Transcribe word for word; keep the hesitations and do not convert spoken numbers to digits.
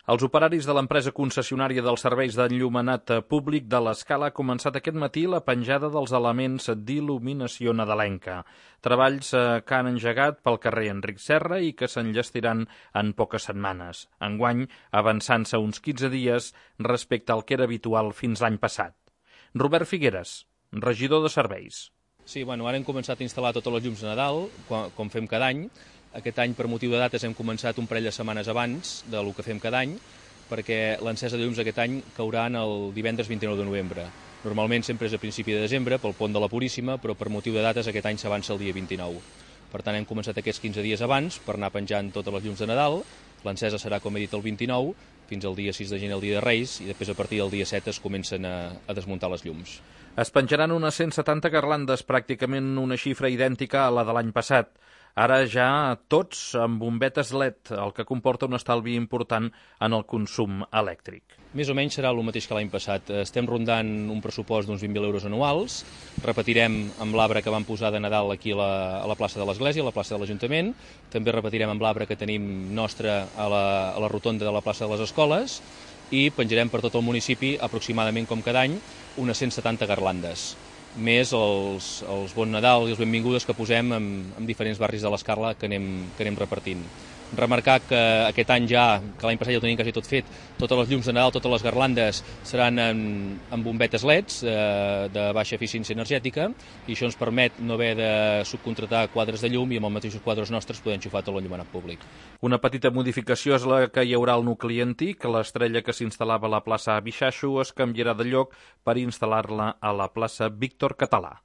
Els operaris de l'empresa concessionària dels serveis d'enllumenat públic de l'Escala ha començat aquest matí la penjada dels elements d'il·luminació nadalenca. Treballs que han engegat pel carrer Enric Serra i que s'enllestiran en poques setmanes. Enguany, avançant-se uns quinze dies respecte al que era habitual fins l'any passat. Robert Figueres, regidor de serveis. Sí, bueno, ara hem començat a instal·lar totes les llums de Nadal, com fem cada any. Aquest any, per motiu de dates, hem començat un parell de setmanes abans del que fem cada any, perquè l'encesa de llums aquest any cauran el divendres vint-i-nou de novembre. Normalment sempre és a principi de desembre, pel pont de la Puríssima, però per motiu de dates aquest any s'avança el dia vint-i-nou. Per tant, hem començat aquests quinze dies abans per anar penjant totes les llums de Nadal. L'encesa serà, com he dit, el vint-i-nou, fins al dia sis de gener, el dia de Reis, i després a partir del dia set es comencen a, a desmuntar les llums. Es penjaran unes cent setanta garlandes, pràcticament una xifra idèntica a la de l'any passat. Ara ja tots amb bombetes L E D, el que comporta un estalvi important en el consum elèctric. Més o menys serà el mateix que l'any passat. Estem rondant un pressupost d'uns vint mil euros anuals. Repetirem amb l'arbre que vam posar de Nadal aquí a la, a la plaça de l'Església, a la plaça de l'Ajuntament. També repetirem amb l'arbre que tenim nostre a la, a la rotonda de la plaça de les Escoles i penjarem per tot el municipi, aproximadament com cada any, unes cent setanta garlandes, més els, els Bon Nadal i els benvingudes que posem en, en diferents barris de l'Escala que anem, que anem repartint. Remarcar que aquest any ja, que l'any passat ja ho tenim quasi tot fet, totes les llums de Nadal, totes les garlandes seran en, en bombetes L E Ds eh, de baixa eficiència energètica i això ens permet no haver de subcontratar quadres de llum i amb els mateixos quadres nostres poder enxufar tot l'enllumenat públic. Una petita modificació és la que hi haurà al nucli antic. L'estrella que s'instal·lava a la plaça Bixaixo es canviarà de lloc per instal·lar-la a la plaça Víctor Català.